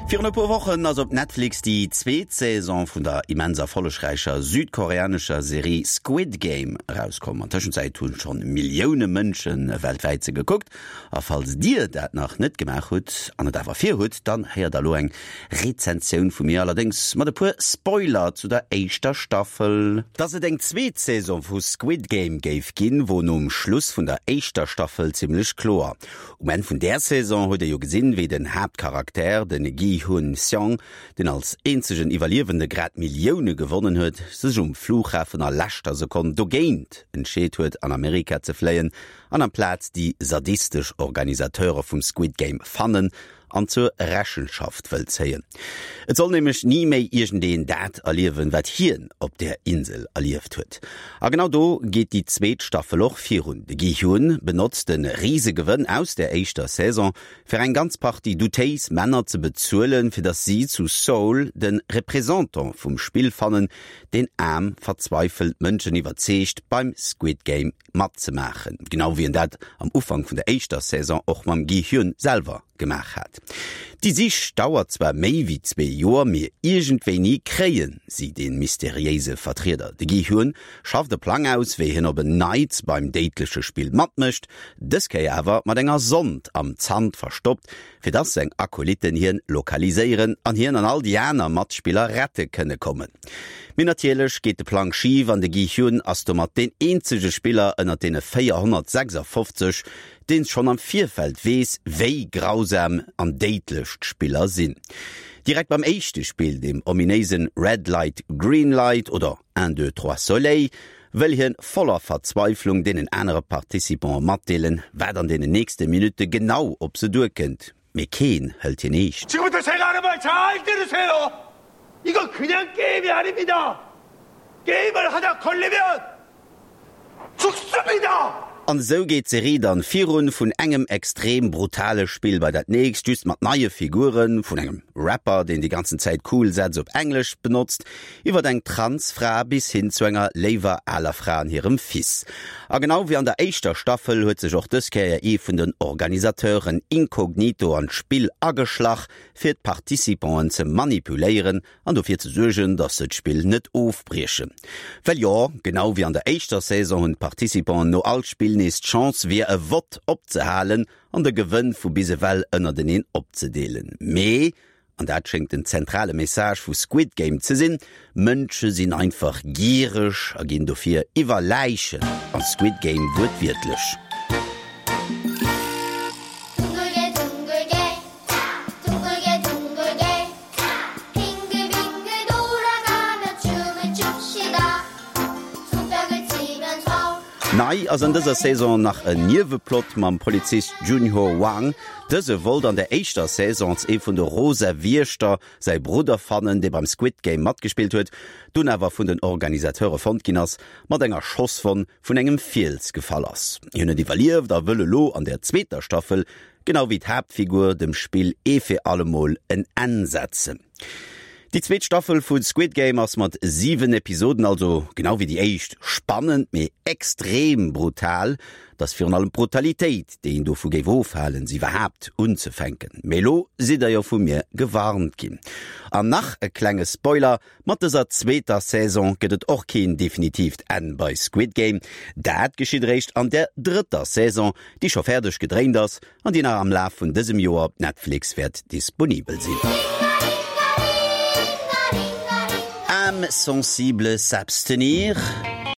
Virun e puer Wochen ass op Netflix déi zweet Saison vun der immens erfollegräicher südkoreanescher Serie Squid Game erauskomm. An Tëschenzäit hunn schonn Millioune Mënsche weltwäit se gekuckt. A falls dir dat nach net gemaach hutt an et awer vir hutt, dann héiert der elo eng Rezensioun vu mir, allerdéngs mat e puer Spoiler zu der éischter Staffel. Dass et eng zweet Saison vu Squid Game géif ginn, wor nom Schluss vun der éischter Staffel zimmlech kloer. Um Enn vun där Saison huet ee jo gesinn, wéi den Haaptcharakter, de Gi-hun Seong, deen als eenzegen Iwwerliewende grad Millioune gewonnen huet, sech um Flughafen a leschter Sekonn dogéint entscheet huet, an Amerika ze fléien an amplaz déi sadistesch Organisateure vum Squid Game fannen an zur Rechenschaft wëll zéien. Et soll nämlech ni méi iergendeen dat erliewen, wat hien op där Insel erlieft huet. A genau do geet déi zweet Staffel och virun. De Gi-Hyun benotzt de Risegewënn aus där éischter Saison, fir eng ganz Partie doutéis Männer ze bezuelen, fir datt si zu Seoul de Représentant vum Spill fannen, deen aarm, verzweifelt Mënschen iwwerzeegt, beim Squid Game matzemaachen, genau wéi en dat am Ufank vun der éischter Saison och mam Gi-Hyun selwer gemaach hat. Déi Sich dauert zwar méi wéi zwee Joer, mee iergendwéini kréie si dee mysteriéise Vertrieder. De Gi-Hyun schafft e Plang aus, wéi hien op en Neits beim déidleche Spill matmécht, dës Kéier awer mat enger Sond am Zant verstoppt, fir dass seng Akolytten hien lokaliséieren an hien an all déi aner Matspiller rette kënne kommen. Mee natierlech geet de Plang schif an de Gi-Hyun ass domat deen eenzege Spiller ënnert deene 456, deen schonn am Virfeld weess, wéi grausam an déidlech d'Spiller sinn. Direkt beim éischte Spill, dem ominéisen Red Light, Green Light oder Un, deux, trois, soleil, wëll hien voller Verzweiflung deenen anere Participanten matdeelen, wat an deenen nächste Minutte genau op se duerkënnt, mee keen hëlt hien eescht. 지금부터 제가 하는 말 잘 들으세요! 이거 그냥 게임이 아닙니다! 게임을 하다 걸리면 죽습니다! An esou geet d'Serie dann virun, vun engem extrem brutale Spill bei dat nächst, just mat neie Figuren, vun engem Rapper, deen déi ganzen Zäit cool Sätz op Englesch benotzt, Iwwert eng trans Fra bis hin zu enger léiwer aler Fra an hirem Fils. A genau wéi an der éischter Staffel huet sech och dës Kéier ee vun den Organisateuren inkognito an d'Spill ageschlach, fir d'Participanten ze manipuléieren an dofir ze suergen, dass se d'Spill net ofbriechen. Well jo, genau wéi an der éischter Saison hunn d'Participanten no all Spill nees d'Chance via e Vott opzehalen an de Gewënn vu bis ewell ënnerteneen opzedeelen. Mee an dat schéngt den zentrale Message vu Squid Game ze sinn, Mënsche sinn einfach giereg a ginn dofir iwwer Läichen a Squid Game wuertwiertlech. Nei ass an dëser Saison nach en Nieweplot mam Polizist Junho Wang. Dëse wollt an der éischter Saison als ee vun de Rosa Wiechter säi Brudder fannen, dee beim Squid Game matgespillt huet, dunn awer vun den Organisateure fonnt ginn ass, mat enger Schosswonn vun engem Fiels gefall ass. Hien huet iwwerlieft a wëll elo an der zweeter Staffel, genau wéi d'Haaptfigur, dem Spill ee fir allemol en Enn setzen. Déi zweet Staffel vu Squid Game ass mat 7 Episoden, also genau wéi déi éischt, spannend, mee extrem brutal. Et ass virun allem d'Brutalitéit, déi een dovu géif ofhalen, se iwwerhaapt unzefänken. Mee elo sidd der jo vu mir gewarnt ginn. An nach e klenge Spoiler, Mat dëser zweeter Saison gëtt et och keen definitiivt Enn bei Squid Game. Dat geschitt eréischt an der drëtter Saison, déi scho fäerdeg gedréint ass an déi nach am Laf vun dësem Joer op Netflix wäert disponibel sinn. Âmes sensibles s'abstenir.